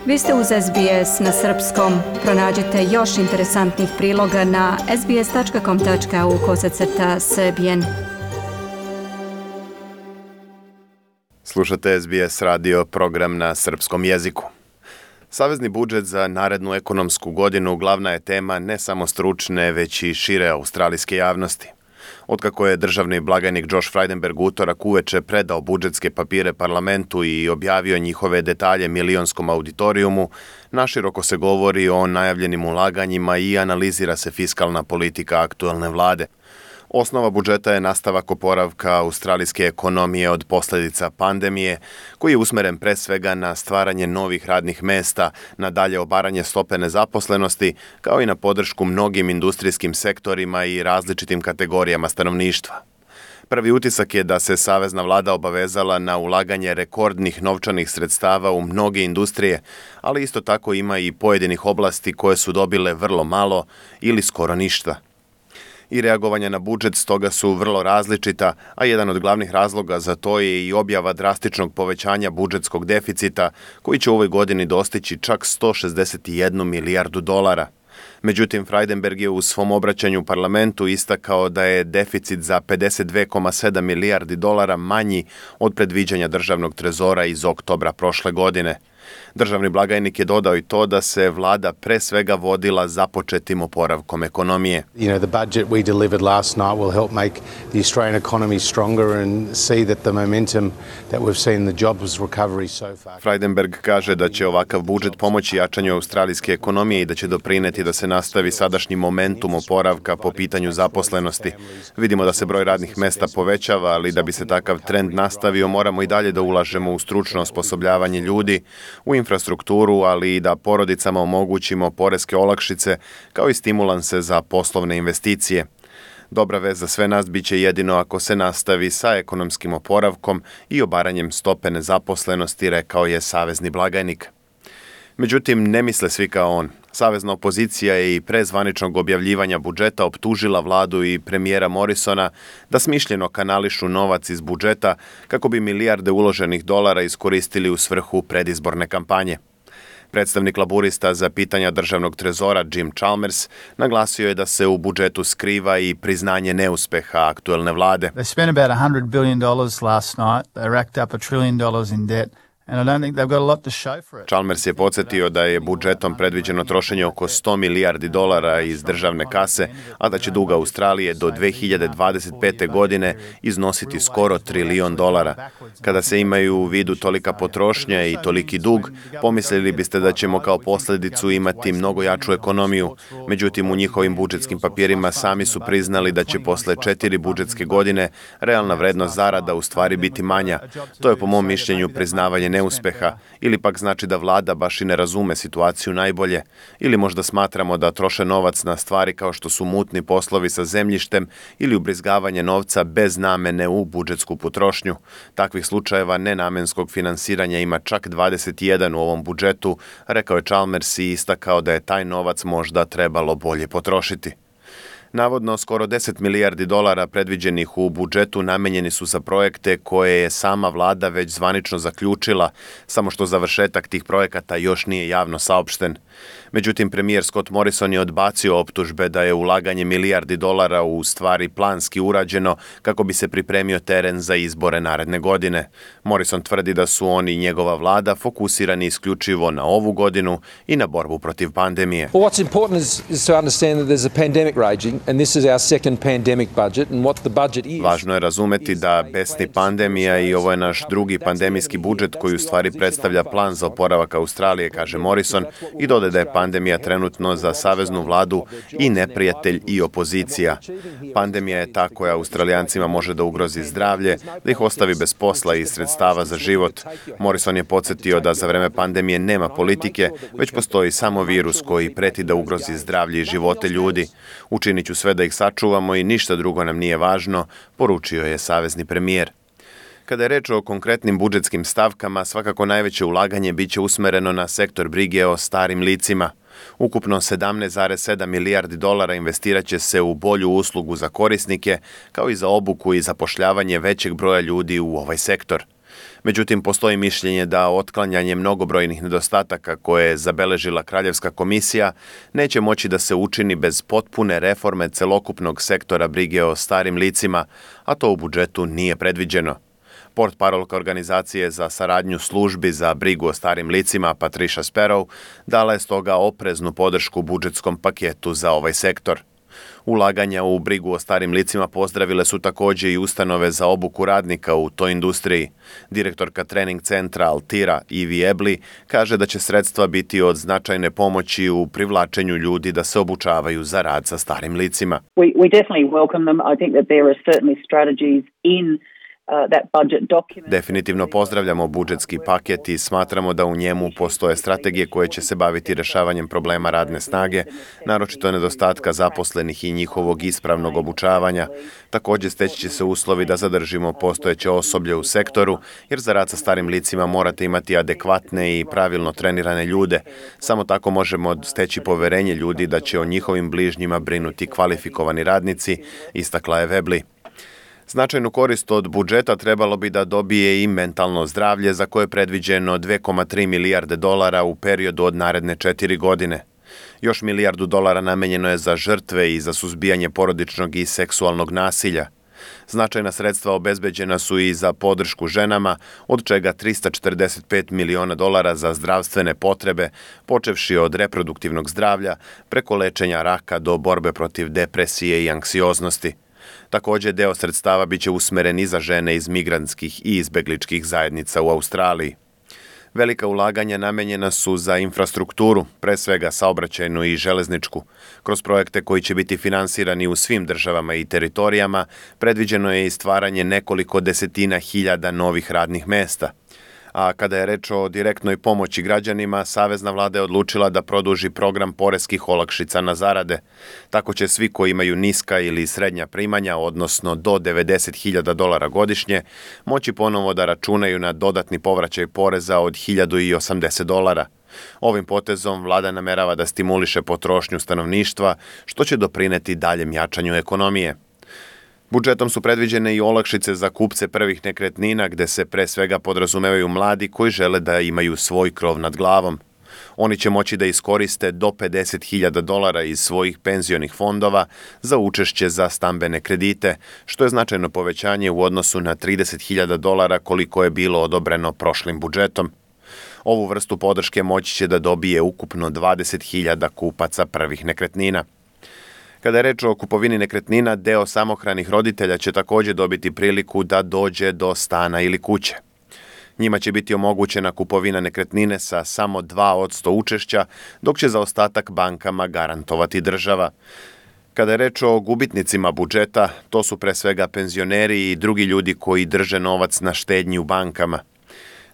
Vi ste uz SBS na srpskom. Pronađite još interesantnih priloga na sbs.com.au/srbijen. Slušate SBS radio, program na srpskom jeziku. Savezni budžet za narednu ekonomsku godinu glavna je tema ne samo stručne, već i šire australijske javnosti. Otkako je državni blagajnik Josh Frydenberg utorak uveče predao budžetske papire parlamentu i objavio njihove detalje milionskom auditorijumu, naširoko se govori o najavljenim ulaganjima i analizira se fiskalna politika aktuelne vlade. Osnova budžeta je nastavak oporavka australijske ekonomije od posljedica pandemije, koji je usmeren pre svega na stvaranje novih radnih mesta, na dalje obaranje stope nezaposlenosti, kao i na podršku mnogim industrijskim sektorima i različitim kategorijama stanovništva. Prvi utisak je da se savezna vlada obavezala na ulaganje rekordnih novčanih sredstava u mnoge industrije, ali isto tako ima i pojedinih oblasti koje su dobile vrlo malo ili skoro ništa. I reagovanja na budžet stoga su vrlo različita, a jedan od glavnih razloga za to je i objava drastičnog povećanja budžetskog deficita, koji će u ovoj godini dostići čak $161 milijardu. Međutim, Frydenberg je u svom obraćanju parlamentu istakao da je deficit za $52,7 milijardi manji od predviđanja državnog trezora iz oktobra prošle godine. Državni blagajnik je dodao i to da se vlada pre svega vodila započetim oporavkom ekonomije. The budget we delivered last night will help make the Australian economy stronger and see that the momentum that we've seen in the jobs recovery so far. Frydenberg kaže da će ovakav budžet pomoći jačanju australijske ekonomije i da će doprineti da se nastavi sadašnji momentum oporavka po pitanju zaposlenosti. Vidimo da se broj radnih mesta povećava, ali da bi se takav trend nastavio, moramo i dalje da ulažemo u stručno osposobljavanje ljudi, u infrastrukturu, ali i da porodicama omogućimo poreske olakšice kao i stimulanse za poslovne investicije. Dobra vest za sve nas biće jedino ako se nastavi sa ekonomskim oporavkom i obaranjem stope nezaposlenosti, rekao je savezni blagajnik. Međutim, ne misle svi kao on. Savezna opozicija je i pre zvaničnog objavljivanja budžeta optužila vladu i premijera Morrisona da smišljeno kanališu novac iz budžeta kako bi milijarde uloženih dolara iskoristili u svrhu predizborne kampanje. Predstavnik laburista za pitanja državnog trezora Jim Chalmers naglasio je da se u budžetu skriva i priznanje neuspeha aktuelne vlade. They spent about $100 billion last night. They racked up $1 trillion in debt. Chalmers je podsjetio da je budžetom predviđeno trošenje oko $100 milijardi iz državne kase, a da će dug Australije do 2025. godine iznositi skoro $1 trilion. Kada se imaju u vidu tolika potrošnja i toliki dug, pomislili biste da ćemo kao posljedicu imati mnogo jaču ekonomiju. Međutim, u njihovim budžetskim papirima sami su priznali da će posle 4 budžetske godine realna vrednost zarada u stvari biti manja. To je po mom mišljenju priznavanje neuspeha, ili pak znači da vlada baš i ne razume situaciju najbolje, ili možda smatramo da troše novac na stvari kao što su mutni poslovi sa zemljištem ili ubrizgavanje novca bez namene u budžetsku potrošnju. Takvih slučajeva nenamenskog finansiranja ima čak 21 u ovom budžetu, rekao je Chalmers i istakao da je taj novac možda trebalo bolje potrošiti. Navodno, skoro $10 milijardi predviđenih u budžetu namenjeni su za projekte koje je sama vlada već zvanično zaključila, samo što završetak tih projekata još nije javno saopšten. Međutim, premijer Scott Morrison je odbacio optužbe da je ulaganje milijardi dolara u stvari planski urađeno kako bi se pripremio teren za izbore naredne godine. Morrison tvrdi da su on i njegova vlada fokusirani isključivo na ovu godinu i na borbu protiv pandemije. Well, what's important is to understand that there's a pandemic raging. And this is our second pandemic budget and what the budget is. Važno je razumeti da besni pandemija i ovo je naš drugi pandemijski budžet koji u stvari predstavlja plan za oporavak Australije, kaže Morrison, i dodaje da je pandemija trenutno za saveznu vladu i neprijatelj i opozicija. Pandemija je ta koja Australijancima može da ugrozi zdravlje, da ih ostavi bez posla i sredstava za život. Morrison je podsjetio da za vreme pandemije nema politike, već postoji samo virus koji preti da ugrozi zdravlje i živote ljudi. Učinit ću sve da ih sačuvamo i ništa drugo nam nije važno, poručio je savezni premijer. Kada je reč o konkretnim budžetskim stavkama, svakako najveće ulaganje biće usmereno na sektor brige o starim licima. Ukupno $17,7 milijardi investirat će se u bolju uslugu za korisnike, kao i za obuku i zapošljavanje većeg broja ljudi u ovaj sektor. Međutim, postoji mišljenje da otklanjanje mnogobrojnih nedostataka koje je zabeležila Kraljevska komisija neće moći da se učini bez potpune reforme celokupnog sektora brige o starim licima, a to u budžetu nije predviđeno. Portparolka organizacije za saradnju službi za brigu o starim licima Patricia Sparrow dala je stoga opreznu podršku budžetskom paketu za ovaj sektor. Ulaganja u brigu o starim licima pozdravile su također i ustanove za obuku radnika u toj industriji. Direktorka trening centra Altira Ivy Ebley kaže da će sredstva biti od značajne pomoći u privlačenju ljudi da se obučavaju za rad sa starim licima. We definitely welcome them. I think that there are certainly strategies in Definitivno pozdravljamo budžetski paket i smatramo da u njemu postoje strategije koje će se baviti rešavanjem problema radne snage, naročito nedostatka zaposlenih i njihovog ispravnog obučavanja. Također steći će se uslovi da zadržimo postojeće osoblje u sektoru, jer za rad sa starim licima morate imati adekvatne i pravilno trenirane ljude. Samo tako možemo steći poverenje ljudi da će o njihovim bližnjima brinuti kvalifikovani radnici, istakla je Webley. Značajnu korist od budžeta trebalo bi da dobije i mentalno zdravlje, za koje je predviđeno $2,3 milijarde u periodu od naredne 4 godine. Još $1 milijardu namenjeno je za žrtve i za suzbijanje porodičnog i seksualnog nasilja. Značajna sredstva obezbeđena su i za podršku ženama, od čega $345 miliona za zdravstvene potrebe, počevši od reproduktivnog zdravlja, preko lečenja raka do borbe protiv depresije i anksioznosti. Također deo sredstava biće usmeren i za žene iz migrantskih i izbegličkih zajednica u Australiji. Velika ulaganja namenjena su za infrastrukturu, pre svega saobraćajnu i železničku. Kroz projekte koji će biti finansirani u svim državama i teritorijama, predviđeno je i stvaranje nekoliko desetina hiljada novih radnih mesta. A kada je reč o direktnoj pomoći građanima, Savezna vlada je odlučila da produži program poreskih olakšica na zarade. Tako će svi koji imaju niska ili srednja primanja, odnosno do $90,000 godišnje, moći ponovo da računaju na dodatni povraćaj poreza od $1.080. Ovim potezom vlada namerava da stimuliše potrošnju stanovništva, što će doprineti daljem jačanju ekonomije. Budžetom su predviđene i olakšice za kupce prvih nekretnina, gde se pre svega podrazumevaju mladi koji žele da imaju svoj krov nad glavom. Oni će moći da iskoriste do $50,000 iz svojih penzionih fondova za učešće za stambene kredite, što je značajno povećanje u odnosu na $30,000 koliko je bilo odobreno prošlim budžetom. Ovu vrstu podrške moći će da dobije ukupno 20.000 kupaca prvih nekretnina. Kada je reč o kupovini nekretnina, deo samohranih roditelja će također dobiti priliku da dođe do stana ili kuće. Njima će biti omogućena kupovina nekretnine sa samo 2% učešća, dok će za ostatak bankama garantovati država. Kada je reč o gubitnicima budžeta, to su pre svega penzioneri i drugi ljudi koji drže novac na štednji u bankama.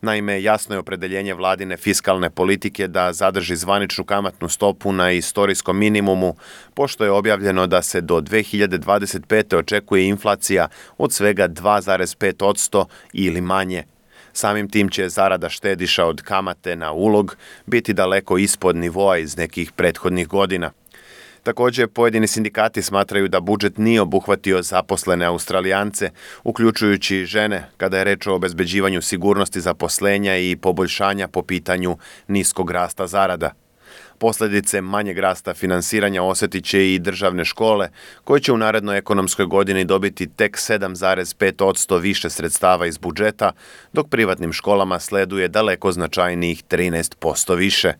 Naime, jasno je opredeljenje vladine fiskalne politike da zadrži zvaničnu kamatnu stopu na istorijskom minimumu, pošto je objavljeno da se do 2025. očekuje inflacija od svega 2,5% ili manje. Samim tim će zarada štediša od kamate na ulog biti daleko ispod nivoa iz nekih prethodnih godina. Također, pojedini sindikati smatraju da budžet nije obuhvatio zaposlene Australijance, uključujući žene, kada je reč o obezbeđivanju sigurnosti zaposlenja i poboljšanja po pitanju niskog rasta zarada. Posljedice manjeg rasta finansiranja osjetit će i državne škole, koje će u narednoj ekonomskoj godini dobiti tek 7,5% više sredstava iz budžeta, dok privatnim školama sleduje daleko značajnijih 13% više.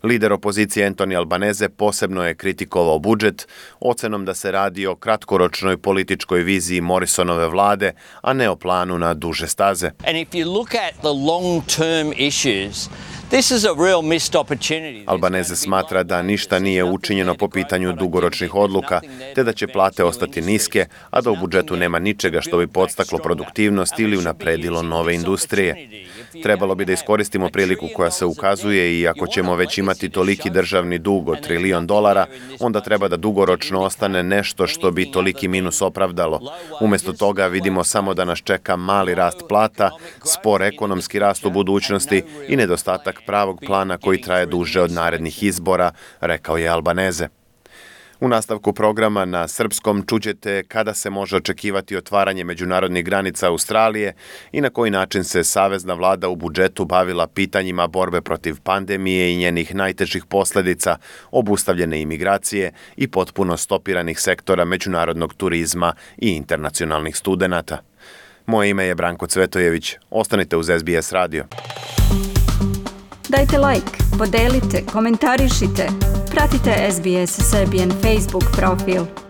Lider opozicije Anthony Albanese posebno je kritikovao budžet, ocenom da se radi o kratkoročnoj političkoj viziji Morrisonove vlade, a ne o planu na duže staze. And if you look at the long-term issues, this is a real missed opportunity. Albanese smatra da ništa nije učinjeno po pitanju dugoročnih odluka, te da će plate ostati niske, a da u budžetu nema ničega što bi podstaklo produktivnost ili unapredilo nove industrije. Trebalo bi da iskoristimo priliku koja se ukazuje i ako ćemo već imati toliki državni dug od $1 trilion, onda treba da dugoročno ostane nešto što bi toliki minus opravdalo. Umjesto toga vidimo samo da nas čeka mali rast plata, spor ekonomski rast u budućnosti i nedostatak pravog plana koji traje duže od narednih izbora, rekao je Albanese. U nastavku programa na srpskom čućete kada se može očekivati otvaranje međunarodnih granica Australije i na koji način se savezna vlada u budžetu bavila pitanjima borbe protiv pandemije i njenih najtežih posljedica, obustavljene imigracije i potpuno stopiranih sektora međunarodnog turizma i internacionalnih studenata. Moje ime je Branko Cvetojević. Ostanite uz SBS radio. Dajte like, podelite, komentarišite. Pratite SBS Serbian Facebook profil.